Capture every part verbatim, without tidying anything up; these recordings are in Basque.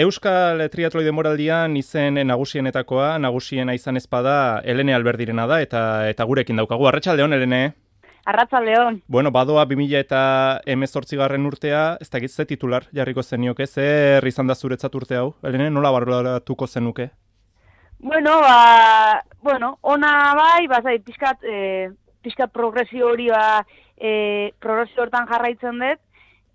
Euskal Triatloi denboraldian izen nagusienetakoa, nagusiena izan ezpada Helene Alberdirena da, eta eta gurekin daukagu. Arratsaldeon, Helene. Arratsaldeon. Bueno, badoa bi mila hemezortzigarren urtea, ez dakit ze titular jarriko zenioke, zer izan da zuretzat urte hau, Helene, nola barruratuko zenuke? Bueno, ba, bueno, ona bai, bazai, pixkat, e, pixkat progresio hori, ba, e, progresio hortan jarraitzen dut,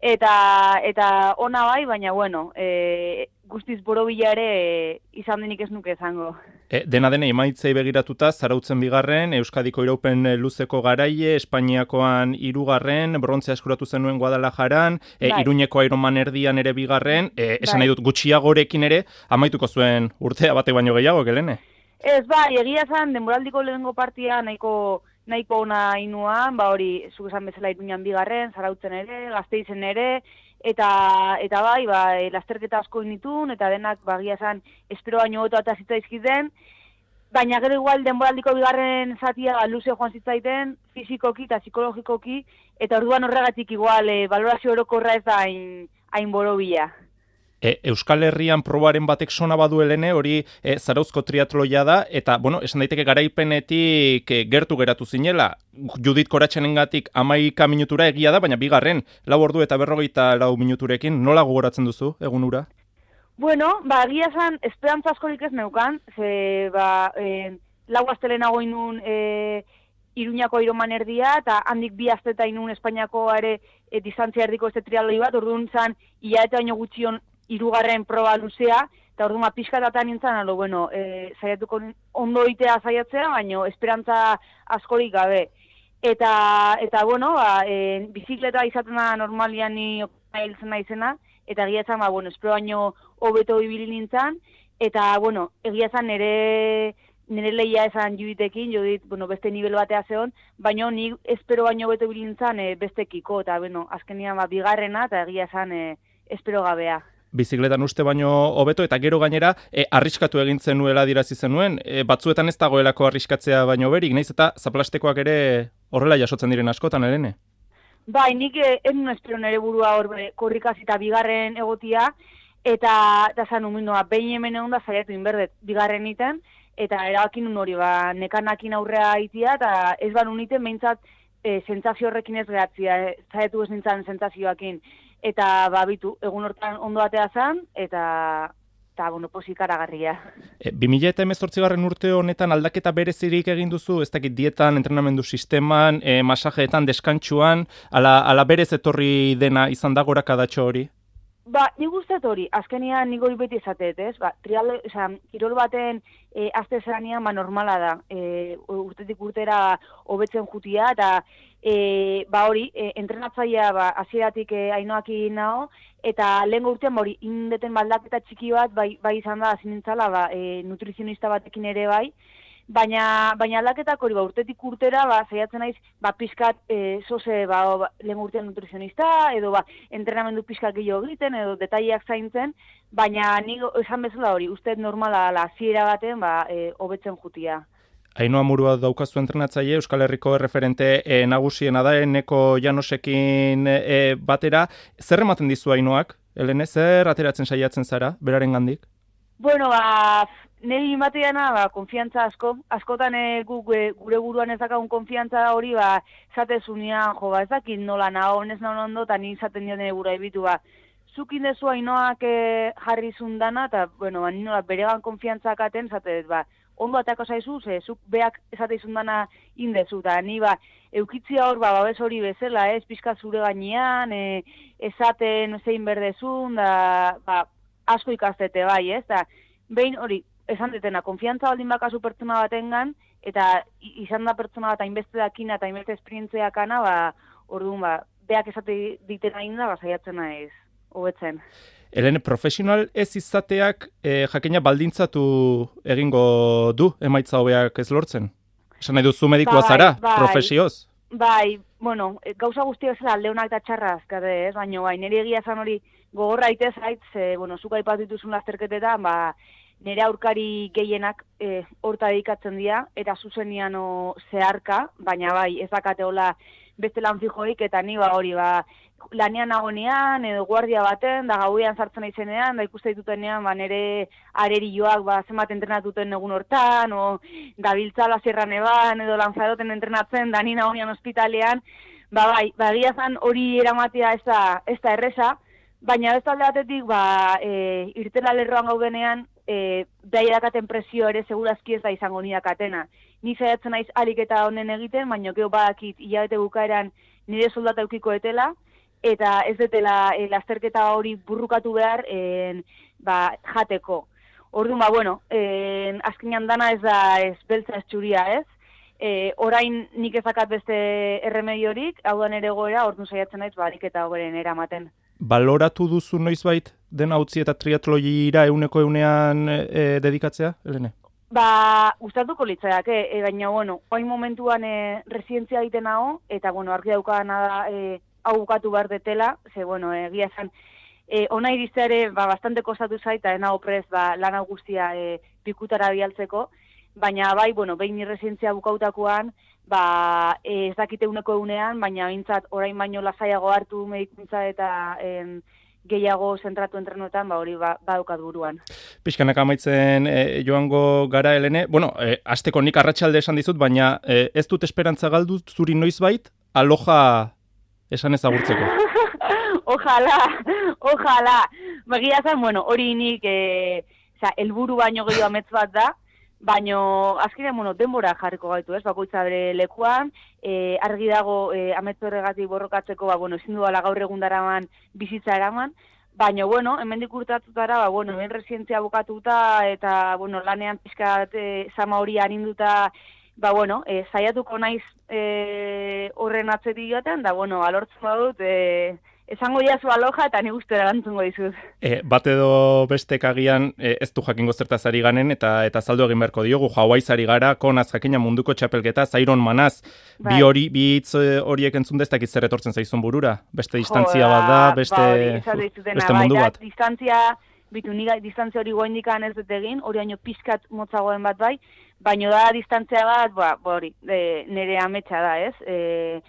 eta eta ona bai, baina, bueno, e, guztiz borobila ere e, izan denik ez nuke izango. E, dena dene, emaitzei begiratuta, Zarautzen bigarren, Euskadiko iraupen luzeko garaile, Espainiakoan hirugarren, brontzea eskuratu zenuen Guadalajaran, e, Bai. Iruñeko Ironman erdian ere bigarren, e, esan Bai. nahi dut gutxiagorekin ere, amaituko zuen urtea bate baino gehiago, Helene? Ez, bai, egia zen, denboraldiko lehenengo partia nahiko nahiko ona inuan, ba hori, zuk esan bezala Iruñan bigarren, Zarautzen ere, Gasteizen ere, eta eta bai, ba, e, lasterketa asko initun, eta denak bagia esan espero baino hobeto eta zitzaizkiten, baina gero igual denboraldiko bigarren zatia ba, luze joan zitzaiten, fizikoki eta psikologikoki, eta orduan horregatik igual e, balorazio orokorra ez da hain, hain borobila. E, Euskal Herrian probaren batek sona badu, Helene, hori e, Zarauzko triatloia da, eta, bueno, esan daiteke garaipenetik e, gertu geratu zinela, Judit Koratxenengatik hamaika minutura egia da, baina bigarren, lau ordu eta berrogeita lau minuturekin, nola gogoratzen duzu, egun ura? Bueno, ba, egia esan, esperantza askorik ez neukan, ze, ba, e, lau astelenago inun e, Iruñako Ironman erdia, eta handik bi asteta inun Espainiako ere e, distantzia erdiko este triatloi bat, orduan zan, hilabete baino gutxion hirugarren proba luzea, eta orduan pixkatatan nintzen, alo, bueno, e, saiatuko ondo itea saiatzea, baino esperantza askorik gabe. Eta, eta bueno, ba, e, bizikleta izaten da normalian ni hiltzen naizena, eta egia esan, ba, bueno, espero baino hobeto ibili nintzen, eta, bueno, egia esan nire, nire lehia esan Juditekin, Judit, bueno, beste nivel batea zeon, baino ni espero baino hobeto ibili nintzen e, bestekiko, eta, bueno, azkenian, ba, bigarrena, eta egia esan e, espero gabea. Bizikletan uste baino hobeto, eta gero gainera e, arriskatu egin zenuela dirazi zenuen, e, batzuetan ez dagoelako arriskatzea baino berik, naiz eta zaplastekoak ere horrela jasotzen diren askotan, Helene? Bai, nik ez nuen espero nire burua hor korrikaz eta bigarren egotia, eta eta zan umindua, behin hemen egon da zaiatu inberdet bigarren iten, eta erabakin nun hori, ba, nekanakin aurrea itia, eta ez ban uniten behintzat e, sentsazio horrekin ez gehatzia, e, zaiatu ez nintzen sentsazioakin. Eta babitu, egun hortan ondo atea zen, eta, eta bueno, pozik aragarria. E, bi mila hemezortzigarren urte honetan aldaketa berezirik egin duzu, ez dakit dietan, entrenamendu sisteman, e, masajeetan, deskantsuan, ala, ala berez etorri dena izan da gorakadatxo hori? Ba, nik guztet hori, azkenian nik hori beti izatet, ez? Ba, trial, oza, kirol baten e, azte zeranean, ba, normala da. E, urtetik urtera hobetzen jutia, eta e, ba hori, e, entrenatzailea ba, hasieratik e, ainoakin nago, eta lehen urtean ba, hori, indeten baldaketa txiki bat, bai, bai izan da, zinintzala, ba, e, nutrizionista batekin ere bai, Baina, baina aldaketak hori, ba, urtetik urtera, ba, saiatzen naiz, ba, pixkat, e, zoze, ba, ba, lehen urtean nutrizionista, edo, ba, entrenamendu pixkat gehiago egiten, edo detaileak zaintzen, baina nik esan bezala hori, uste normala la hasiera baten, ba, e, hobetzen jutia. Ainhoa Murua daukazu entrenatzaile, Euskal Herriko erreferente e, nagusiena da, Eneko Janosekin e, batera. Zer ematen dizu Ainhoak, Helene, zer ateratzen saiatzen zara, beraren gandik? Bueno, ba, niri imateana, ba, konfiantza asko, askotan e, gu, e, gure buruan ez dakagun konfiantza hori, ba, zatezunean, jo, ba, ez dakit nola nago, ez nago ondo, eta ni izaten dio nire burua ebitu, ba, zukin dezu Ainhoak e, jarri zundana, eta, bueno, ba, ninola beregan konfiantza katen, zate, ba, ondo atako zaizu, ze, zuk beak esate izundana indezu, eta ni, ba, eukitzia hor, ba, babes hori bezala, ez, pixka zure gainean, e, esaten zein berdezun, da, ba, asko ikastete bai, ez, eta behin hori, esan detena, konfiantza baldin bakazu pertsona batengan, eta izan da pertsona bat hainbeste dakina eta hainbeste esperientziakana, ba, orduan, ba, beak esate ditena inda, ba, saiatzen naiz, hobetzen. Helene, profesional ez izateak e, jakina baldintzatu egingo du emaitza hobeak ez lortzen? Esan nahi duzu medikoa bai, zara, bai, profesioz? Bai, bueno, gauza guztia bezala leunak eta txarraz, kade, ez, baina bai, nire egia esan hori gogorra itez zait, ze, bueno, zuka aipatu dituzun lasterketetan, ba, nire aurkari gehienak e, horta dedikatzen dira, eta zuzenian zeharka, baina bai, ez dakate hola beste lan fijoik, eta ni ba hori, ba, lanean nagonean, edo guardia baten, da gauean sartzen naizenean, da ikuste ditutenean, ba, nire arerioak, ba, zenbat entrenatuten egun hortan, o, da biltzala zierran eban, edo lanzaroten entrenatzen, da ni nagonean ospitalean, ba, bai, ba, giazan hori eramatea ez da, ez da erresa, baina ez talde batetik, ba, e, irtela lerroan gaudenean, e, daia dakaten presio ere segurazki ez da izango ni dakatena. Ni saiatzen naiz alik eta honen egiten, baina gero badakit hilabete bukaeran nire soldata eukiko etela, eta ez detela e, lasterketa hori burrukatu behar en, ba, jateko. Orduan, ba, bueno, en, azkenean dana ez da ez beltza ez txuria, ez? E, orain nik ezakat beste erremediorik, hau da nere goera, orduan saiatzen naiz, ba, ariketa hogeren eramaten. Baloratu duzu noizbait dena utzi eta triatloira euneko eunean e, dedikatzea, Helene? Ba, gustatuko litzaiake, e, baina, bueno, oin momentuan e, residentzia egiten hau, eta, bueno, argi daukana da e, hau bukatu behar detela, ze, bueno, egia esan, e, ona iriztea ere, ba, bastante kostatu zaita, ena oprez, ba, lan hau guztia e, pikutara bialtzeko, baina, bai, bueno, behin residentzia bukautakoan, ba, e, ez dakite uneko egunean, baina bintzat orain baino lasaiago hartu medikuntza eta em, gehiago zentratu entrenoetan, ba, hori ba, badukat buruan. Pixkanak amaitzen e, joango gara, Helene. Bueno, e, asteko nik arratsalde esan dizut, baina e, ez dut esperantza galdu zuri noizbait, aloja esan ezagurtzeko. Ojalá, ojalá. Bagia zen, bueno, hori nik, e, oza, helburu baino gehiago amets bat da, baino azkenean, bueno, denbora jarriko gaitu, ez, bakoitza bere lekuan, e, argi dago e, ametzu horregatik borrokatzeko, ba, bueno, ezin duela gaur egun daraman bizitza eraman, baina, bueno, hemendik urtatutara, ba, bueno, hemen residentzia bukatuta, eta, bueno, lanean pixkat e, zama hori arinduta, ba, bueno, e, saiatuko naiz e, horren atzetik joaten, da, bueno, alortzen badut, e, esango jazu aloja eta ni guztera erantzungo dizut. E, bat edo bestek agian e, ez du jakingo zertaz ari ganen eta eta saldu egin beharko diogu. Hawaiiz ari gara, konaz jakina munduko txapelketa, Iron Manaz, bai. bi hori, bi hitz horiek entzun destak zer etortzen zaizun burura. Beste distantzia bat da, beste, ba, hori, beste mundu bat. Bai, distantzia, bitu, niga, distantzia hori goindikan ez dut egin, hori haino pizkat motzagoen bat bai, baino da distantzia bat, ba, hori, e, nire ametsa da, ez? E,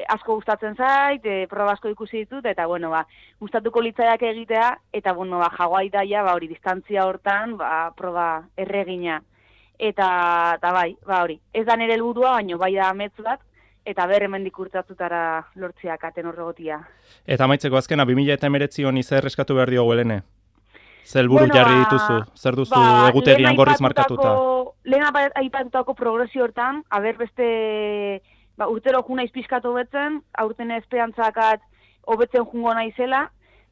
asko gustatzen zait, e, proba asko ikusi ditut, eta, bueno, ba, gustatuko litzaiak egitea, eta, bueno, ba, Hawaii daia, ba, hori, distantzia hortan, ba, proba erregina. Eta, eta bai, ba, hori, ez da nire helburua, baino, bai da amets bat, eta ber hemendik urtatutara lortziak aten horregotia. Eta amaitzeko azkena, bi mila hemeretzi honi zer eskatu behar diogu, Helene? Zer helburu bueno, jarri dituzu? Zer duzu ba, egutegian gorriz markatuta? Lehen aipatutako progresio hortan, haber beste... Ba, urtero ju naiz pixkat hobetzen, aurten esperantzakat hobetzen jungo naizela,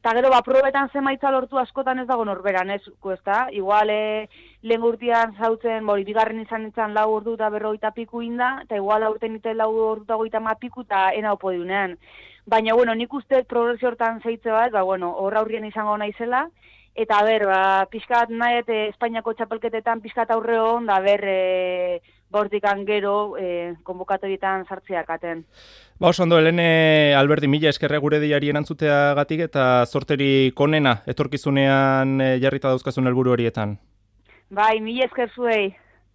eta gero, ba, probetan zemaitza lortu askotan ez dago norberan, ez, ezta? Igual, e, lehen urtean zautzen, bori, bigarren izan nintzen lau ordu eta berrogeita piku inda, eta igual aurten iten lau ordu eta goita ma piku eta ena opodiunean. Baina, bueno, nik uste progresio hortan zeitze bat, ba, bueno, horra aurrien izango naizela, eta ber, ba, pixkat nahi, Espainiako txapelketetan pixkat aurre hon, da ber, e, bortikan gero eh, konbokatorietan sartzeak aten. Ba, oso ondo, Helene Alberdi, mila eskerre gure diari erantzuteagatik eta zorteri konena etorkizunean eh, jarrita dauzkazun helburu horietan. Bai, mila esker zuei.